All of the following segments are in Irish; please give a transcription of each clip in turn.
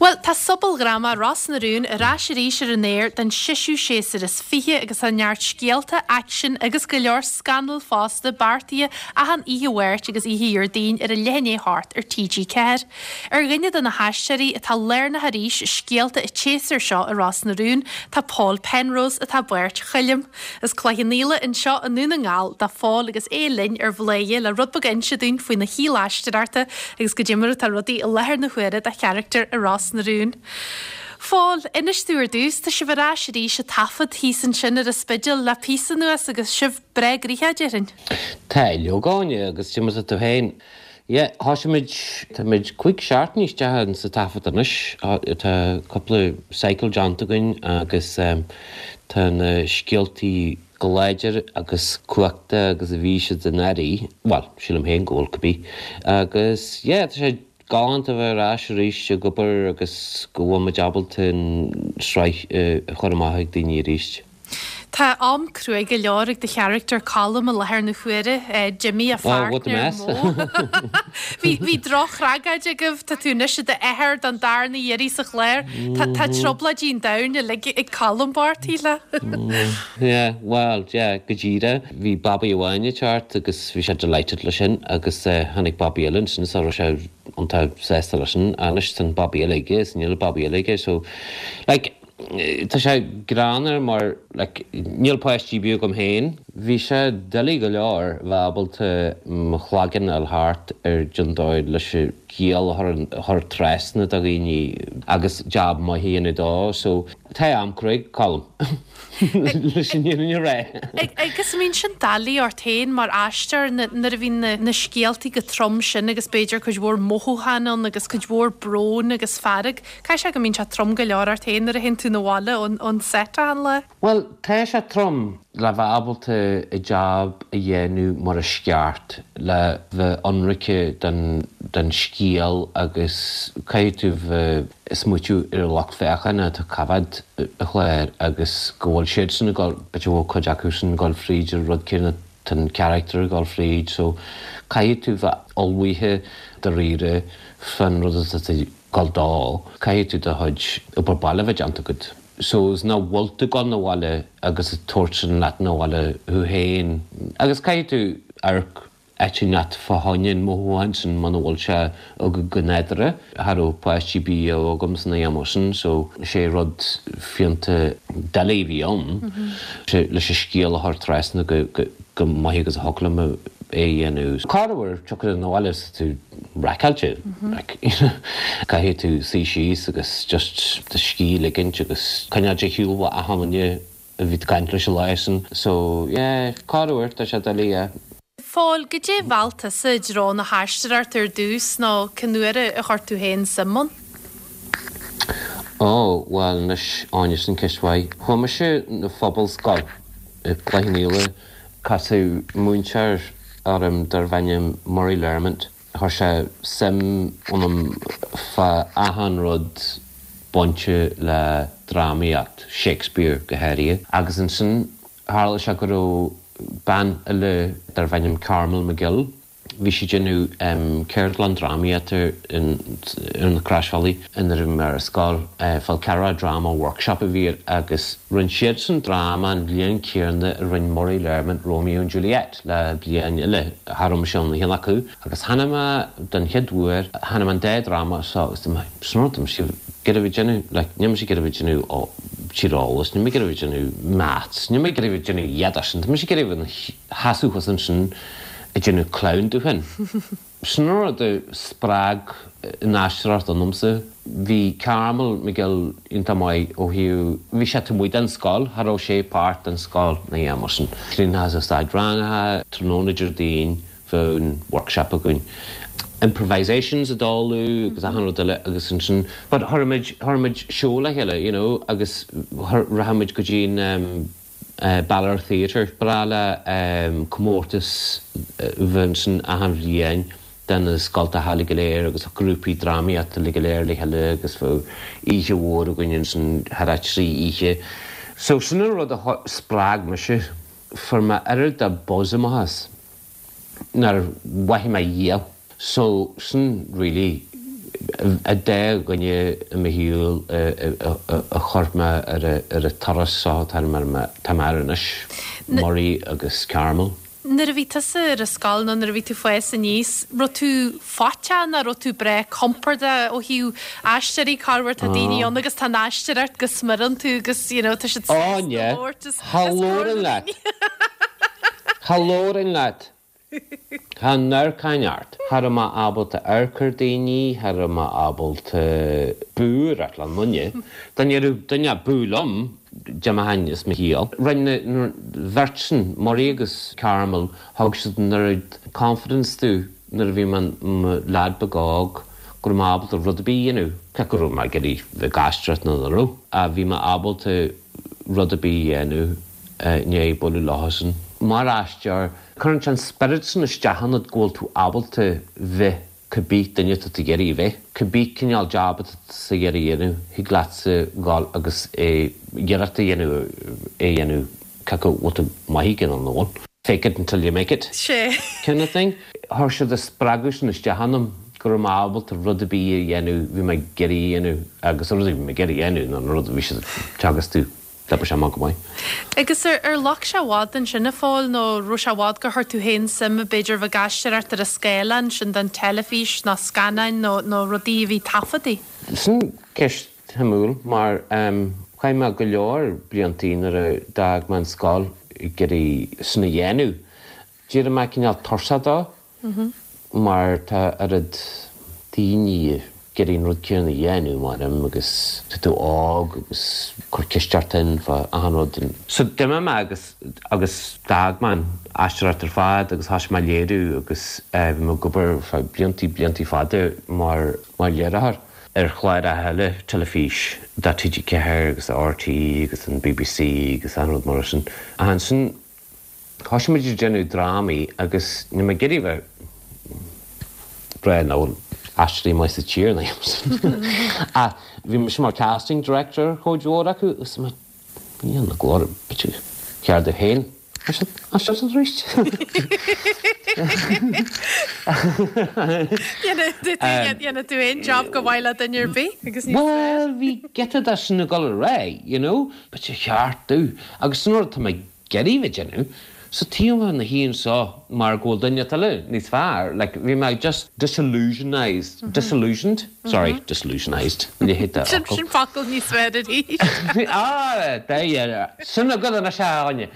Bhuel, tá sobaldhráma Ros na Rún ar ais arís ar an aer don seisiú séasúr is 20 agus tá neart scéalta, aicsin agus go leor scannal fosta beartaithe achan oíche Mháirt agus oíche Dhéardaoin ar a leath i ndiaidh a hocht ar TG4. Ar dhuine de na haisteoirí atá lárnach arís i scéalta an tséasúir seo i Ros na Rún tá Paul Penrose atá i bpáirt Choilm. As Cloich Cheann Fhaola anseo i nDún na nGall do Phól agus é linn ar Bhladhaire le rud beag a inse dúinn faoina shaol aisteoireachta agus goidé mar atá rudaí i láthair na huaire dá charachtar i Ros na Rún. Phól, inis domh ar dtús, tá sibh ar ais arís ag taifead thíos ansin ar an Spidéal le píosa anuas agus sibh breá gnoitheach, déarfainn. Tá, a Áine, agus goidé mar atá tú féin. Yeah, thosaigh muid, tá muid cúig seachtainí isteach in sa taifead anois, tá cúpla cycle déanta againn agus tá na scéaltaí chomh láidir agus cumhachtach agus a bhí siad anuraidh, bhuel, sílim féin go bhfuil cibé. Agus yeah, tá sé galánta a bheith ar ais arís ag obair agus go bhfuil muid ábalta an sraith a chur amach ag daoine arís. Tá am cruaidh go leor ag do charachtar Colm i láthair na huaire. D'imigh a pháirtnéir Mo. Bhí bhí drochthragóid agaibh, tá tú anois i d'athair don darna iarraidh sa chlár. Tá tá trioblóidí an domhain uilig ag Colm bocht, shílfeá. Yeah, bhuel, yeah, go díreach. Bhí babaí amháin ag teacht agus bhí sé delighted leis sin agus tháinig babaí eile ansin so raibh sé iontach sásta leis sin. Anois tá an babaí eile aige is níl babaí eile aige so like, Tá sé greannmhar mar like níl páistí ar bith agam féin. Bhí sé doiligh go leor bheith ábalta mo chloigeann a fháil thart ar cén dóigh leis an scéal a chur trasna do dhaoine agus jab maith a dhéanamh dó so tá am cruaidh ag Colm leis an fhírinne a rá. Agus an mbíonn sin doiligh ort féin mar aisteoir nuair a bhíonn na scéaltaí chomh trom sin agus b'fhéidir cuid mhór mothúchán ann agus cuid mhór brón agus fearg. Caithfidh sé go mbíonn sé trom go leor ort féin nuair a théann tú 'na bhaile ón set achan lá. Bhuel, tá sé trom le bheith ábalta an jab a dhéanamh mar is ceart, le bheith ionraice don don scéal agus caithfidh tú bheith ag smaoitiú ar an lucht féachana atá ag coimhéad an chláir agus go bhfuil siadsan ag dul, b'fhéidir go bhfuil cuid acusan ag dul fríd an rud céanna, tá an charachtar ag dul fríd so caithfidh tú bheith ullmhaithe dáiríre fán rud atá tú gabháil dó, caithfidh tú do chuid obair baile a bheith déanta agat. So is nach bhfuil tú ag gabháil 'na bhaile agus ag tabhairt sin leat 'na bhaile thú féin. Agus caithfidh tú amharc áit inteacht fá choinne an mothúchán sin muna bhfuil sé agat go nádúrtha. Cha raibh páistí ar bith agam san am sin so sé rud fiúntach doiligh a bhí ann leis an scéal a chur trasna go maith agus a thiocfadh liom é a dhéanamh. Corruair tiocfaidh tú 'na bhaile is tú raiceáilte, like, you know, caithfidh tú suí síos agus just do scíth a ligint agus coinneáil ar shiúl ó achan duine a bhí tú ag caint leis an lá sin. So, yeah, corruair, tá sé doiligh, yeah. Phóil, goidé a mheall tusa i dtreo na haisteoireachta ar dtús nó cén uair a chuir tú féin suim ann? Ó, bhuel, anois, Áine, sin ceist mhaith. Chuaigh mise 'na phobalscoil i gCloich Cheann Fhaola. Casadh múinteoir orm darbh ainm Murray Learmont. Chuir sé suim ionam fá achan rud bainte le drámaíocht, Shakespeare go háirithe. Agus ansin tharla sé go raibh bean eile darbh ainm Carmel McGill, Bhí sí ag déanamh ceardlann drámaíochta ar na Croisbhealaí nuair a bhí mé ar scoil. Fal Carragh Drama Workshop a bhí air agus rinne siadsan dráma an bhliain céanna a rinne Murray Learmont Romeo and Juliet le bliain eile. Cha raibh mise ann ag aon acu agus chonaic mé den chéad uair, chonaic mé an dá dráma seo agus dúirt mé, sin rud, tá mise ag iarraidh a bheith ag déanamh, like, níl mise ag iarraidh a bheith ag déanamh tíreolas, níl mé ag iarraidh a bheith ag déanamh maths, níl mé ag iarraidh a bheith ag déanamh iad sin, tá mise ag iarraidh a bheith ina sheasamh thuas ansin ag déanamh clown de féin. Sin an rud a spreag an aisteoireacht ionamsa. Bhí Carmel McGill iontach maith ó thaobh, bhí sé taobh amuigh den scoil, cha raibh sé páirt den scoil ná aon mar sin. Cruinnithe sa staid rangaithe, tráthnóna Déardaoin bheadh an workshop againn. Improvisations ag dul agus achan rud eile agus ansin, but chuir muid, chuir muid seó le chéile, you know, agus rachadh muid go dtí an, Balor Theatre. Ba bhreá le comórtas a bheith ansin achan bhliain de na scoltacha uilig go léir agus grúpaí drámaíochta uilig go léir le chéile agus bheadh oíche mhór againn ansin thar 3 oíche. So sin an rud a spreag mise. Fuair mé oiread de buzz amach as. nár mhothaigh mé riamh. So, sin really. An dá dhuine i mo shaol a chuir mé ar an turas seo atá mé air anois, Murray agus Carmel. Nuair a bhí tusa ar an scoil nó nuair a bhí tú fás aníos, raibh tú faiteach nó raibh tú breá compordach ó thaobh aisteoirí, corruair tá daoine ann agus tá an aisteoireacht go smior iontu agus you know tá siad sásta labhairt os comhair na ndaoine. Cha labhrainn leat. Cha n-amharcfainn ort. Cha raibh mé ábalta amharc ar daoine, cha raibh mé ábalta bualadh le duine. Dá ndéarfadh duine bú liom, d'imeochainn as mo chiall. Rinne an bheirt sin, Murray agus Carmel, thug siad an oiread confidence domh nuair a bhí mé i mo leaid beag óg go raibh mé ábalta rud ar bith a dhéanamh, cé go raibh mé ag iarraidh bheith ag aisteoireacht nó nach raibh, ach bhí mé ábalta rud ar bith a dhéanamh i ndiaidh bualadh leosan. Mar aisteoir, cuireann sé an spiorad sin isteach ionat go bhfuil tú ábalta bheith cibé duine atá tú ag iarraidh a bheith, cibé cineál jab atá tusa ag iarraidh a dhéanamh, thig leatsa dhul agus é iarracht a dhéanamh é a dhéanamh cé acu bhfuil tú maith aige nó nach bhfuil. Fake it until you make it kind of thing. Chuir siad an spreagadh sin isteach ionam go raibh mé ábalta rud ar bith a dhéanamh bhí mé ag iarraidh a dhéanamh agus an rud a bhí mé ag iarraidh a dhéanamh ná an rud a bhí siad ag teagasc domh. D'oibrigh sé amach go maith. Agus ar ghlac sé i bhfad ansin a Phóil nó raibh sé i bhfad gur chuir tú féin suim b'fhéidir bheith ag aisteoireacht ar an scáileán, sin don teilifís nó scannáin nó nó rudaí a bhí taifeadtaí? Sin ceist shuimiúil mar chaith mé go leor bliantaí nuair a d'fhág mé an scoil ag iarraidh sin a dhéanamh. D'éirigh mé cineál tuirseach dó mar tá oiread daoine ag iarraidh an rud céanna a dhéanamh mar em agus tá tú óg agus cuir ceist ort féin fá achan rud. So d'imigh mé agus agus d'fhág mé an aisteoireacht ar fad agus thosaigh mé ag léiriú agus bhí mé ag obair ar feadh bliantaí bliantaí fada mar mar léiritheoir ar chláracha eile teilifís do TG4 agus do RTÉ agus an BBC agus achan rud mar sin. Ach ansin Thosaigh muid ag déanamh drámaí agus níl mé ag iarraidh a bheith breá nó aisteoirí maith sa tír ná ach bhí mise mar casting director ar chuid mhór acu agus mé Dia na glóire b'fhéidir ceart domh féin aisteoireacht arís. Dhéanfadh tú aon job go maith le duine ar bith agus níos fearr. Bhuel bhí giota de sin ag dul ar aghaidh, you know, b'fhéidir cheart domh agus sin rud atá mé ag iarraidh bheith ag déanamh. So tá mé ina shuí anseo mar go bhfuil duine eile níos fearr, like bhí mé just disillusionised, disillusioned? Sorry, disillusionised, leithéid de fhocal. Sin focal níos fearr arís. Ah, there, sin agat anois a Áine!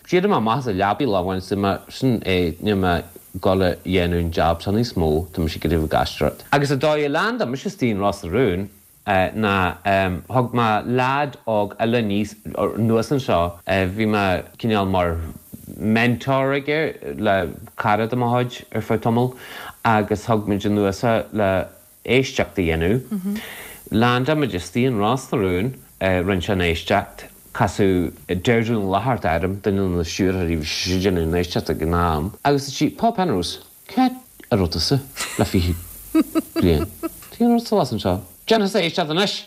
D'éirigh mé amach as an leabaidh lá amháin is mé, sin é, níl mé ag dul a dhéanamh an jab seo níos mó, tá mise ag iarraidh bheith ag aisteoireacht. Agus an dóigh a leaindeáil mise istigh in Ros na Rún, ná thug mé leaid óg eile aníos, anuas anseo, bhí mé cineál mar mentor aige le cara de mo chuid ar feadh tamaill agus thug muid anuas é le éisteacht a dhéanamh. Leaindeáil muid istigh in Ros na Rún, rinne sé an éisteacht, casadh Deirdre Ní Fhlatharta orm, duine de na stiúrthóirí, bhí sí ag déanamh an éisteacht ag an am, agus dúirt sí, Paul Penrose, Cá raibh tusa le 20 bliain? Cén rud suas anseo? Déan thusa éisteacht anois!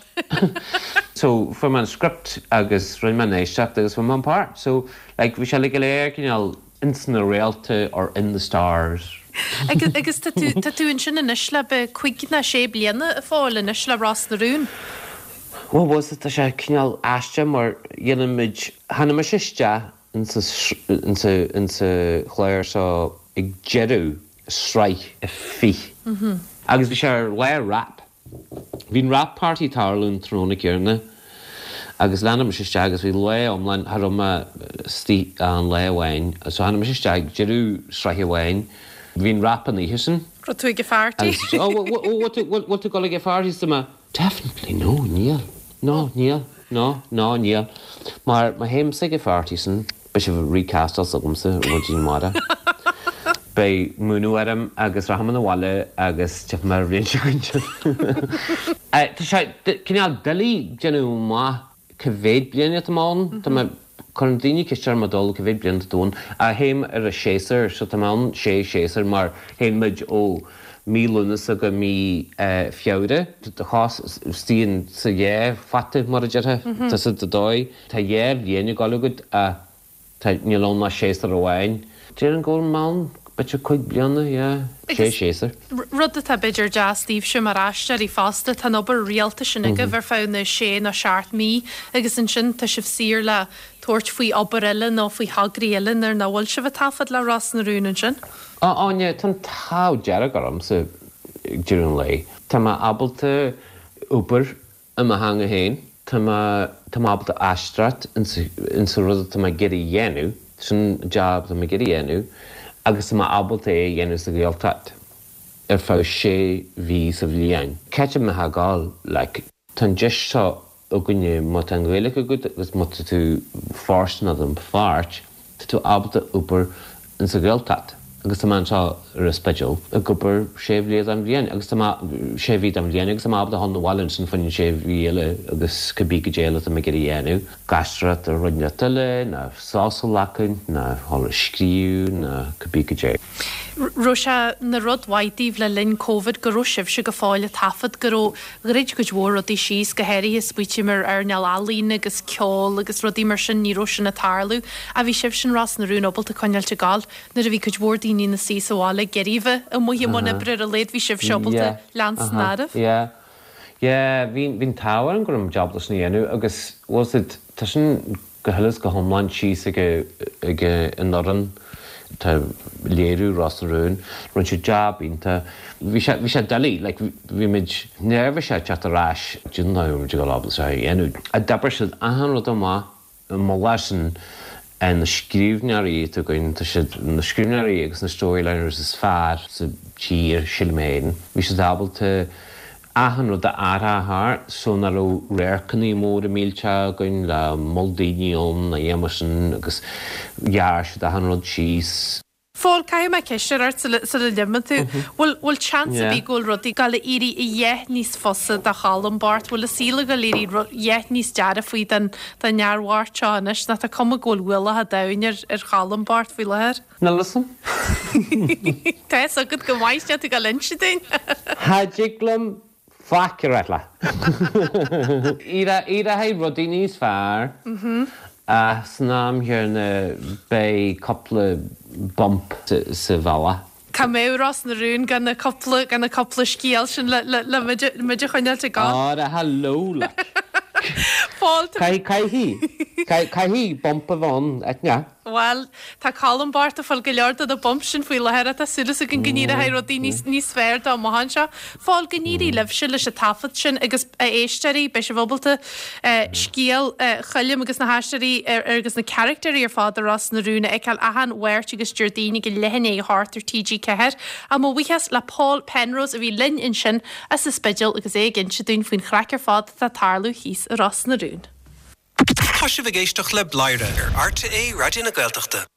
So fuair mé an script agus rinne mé an éisteacht agus fuair mé an páirt. So like bhí sé uilig go léir cineál ins na réalta or in the stars. Agus agus tá tú tá tú ansin anois le b'fhéidir cúig nó sé bliana a Phóil anois le Ros na Rún. Bhuel was tá sé cineál aisteach mar dhéanann muid tháinig mise isteach insa chlár seo ag deireadh sraith a 20 agus bhí sé ar lá wrap. Bhí an wrap party ag tarlú an tráthnóna céanna agus leaindeáil mise isteach agus bhí lá iomlán, cha raibh mé istigh ach an lá amháin so tháinig mise isteach ag deireadh sraithe amháin. Bhí an wrap an oíche sin. Raibh tú ag an pharty? Agus oh bhfuil tú ag dul ag an pharty? Is mé Definitely no, níl. No, níl. No, no, níl. Mar má théimse ag an pharty sin, beidh sibh ag recastáil s'agamsa ar maidin amárach. Beidh múineadh orm agus rachaidh mé 'na bhaile agus tiocfaidh mé ar an bhliain seo chugainn. Tá sé cineál doiligh déanamh amach Cá mhéad bliain atá mé ann? Tá mé, cuireann daoine ceist orm i dul cá mhéad bliain atá tú ann? Ah, théim ar an séasúr, so tá mé ann sé shéasúr mar théann muid ó mí Lúnasa go mí Feabhra. Tá chos istigh sa dhá photta mar a déarfá, tá sa dóigh. Tá dhá bhliain ag dul agat ach tá, níl ann ach séasúr amháin. Déarfainn go bhfuil mé ann. B'fhéidir 5 bliana, yeah, sé séasúr. Rud atá b'fhéidir deas daoibhse mar aisteoirí fosta, tá an obair rialta sin agaibh ar feadh na sé nó seacht mí agus ansin tá sibh saor le tabhairt faoi obair eile nó faoi thograí eile nuair nach bhfuil sibh ag taifead le Ros na Rún ansin. Á, Áine, tá an t-ádh dearg ormsa ag deireadh an lae. Tá mé ábalta obair i mo theanga féin. Tá mé, tá mé ábalta aisteoireacht insa rud atá mé ag iarraidh a dhéanamh, sin jab atá mé ag iarraidh a dhéanamh agus tá mé ábalta é a dhéanamh sa Ghaeltacht ar feadh sé mhí sa bhliain. Cá háit a mbeifeá ag gabháil, like? Tá an deis seo againne, má tá an Ghaeilge agat agus má tá tú fóirsteanach don pháirt, Tá tú ábalta obair in sa Ghaeltacht agus tá mé anseo ar an Spidéal ag obair sé bhliain den bhliain agus tá mé sé mhí den bhliain agus tá mé ábalta dhul 'na bhaile ansin fá choinne sé mhí eile agus cibé goidé eile atá mé ag iarraidh a dhéanamh, ag aisteoireacht ar rud inteacht eile ná sos a ghlacadh ná dhul ag scríobh ná cibé goidé. Raibh sé 'na rud mhaith daoibh le linn Covid go raibh sibhse go fóill ag taifead, go raibh Dhruid cuid mhór rudaí síos, go háirithe smaoitím ar earnáil ealaíon agus ceol agus rudaí mar sin, ní raibh sin ag tarlú. Ach bhí sibhse in Ros na Rún ábalta coinneáilt ag gabháil. Nuair a bhí cuid mhór daoine ina suí sa bhaile ag iarraidh a bheith amuigh i mbun oibre ar a laghad bhí sibhse ábalta leanstan ar aghaidh. Yeah. Yeah, bhí an t-ádh orainn go raibh muid ábalta sin a dhéanamh agus was it, tá sin go huile is go hiomlán síos ag ag an fhoireann atá ag léiriú Ros na Rún. Rinne siad jab iontach. Bhí sé bhí sé doiligh, like bhí muid neirbhíseach teacht ar ais. Didn't know muid ag dul ábalta seo a dhéanamh. Ach d'oibrigh siad achan rud amach. Moladh sin na scríbhneoirí atá againn, tá siad na scríbhneoirí agus na storyliners is fearr sa tír, sílim féin. Bhí siad ábalta achan rud a athrá thart so nach raibh radharcannaí móra millteacha againn le moll daoine ann ná aon mar sin agus ghearr siad achan rud síos. Phóil, caithfidh mé ceist a chur ort sula sula n-imíonn tú. Bhfuil bhfuil seans ar bith go bhfuil rudaí ag gabháil a éirí a dhath níos fusa do Cholm bocht? Bhfuil an saol ag gabháil a éirí a dhath níos dearfaí don don fhear bhocht seo anois? Nó tá cuma go bhfuil ualach an domhain ar ar Cholm bocht faoi láthair? Níl a fhios a'm. Tá fhios agat go maith, níl tú ag gabháil a inse dúinn. Cha dtig liom faic a rá leat. Éireoidh rudaí níos fearr ach san am chéanna beidh cúpla bump sa bhealach. Cá mbeadh Ros na Rún gan na cúpla, gan na cúpla scéal sin le, le, le muid, muid a choinneáilt ag gabháil? Ara hello like. Fáilte. Caithfidh, caithfidh, caithfidh bump a bheith ann, Eithne. Bhuel, tá Colm bocht ag fáil go leor de na bumps sin faoi láthair ach tá súil againn go n-éireoidh rudaí níos, níos fearr dó amach anseo. Phóil, go n-éirí libhse leis an taifead sin agus a éisteoirí, beidh sibh ábalta scéal Choilm agus na haisteoirí ar, agus na caractéirí ar fad i Ros na Rún a fheiceáil achan Mháirt agus Déardaoin ag a leath i ndiaidh a hocht ar TG4. Ach mo bhuíochas le Pól Penrose a bhí linn ansin as an Spidéal agus é ag inse dúinn faoin chraic ar fad atá ag tarlú thíos i Ros na Rún. Tá sibh ag éisteacht le Bladhaire ar RTÉ Raidió na Gaeltachta.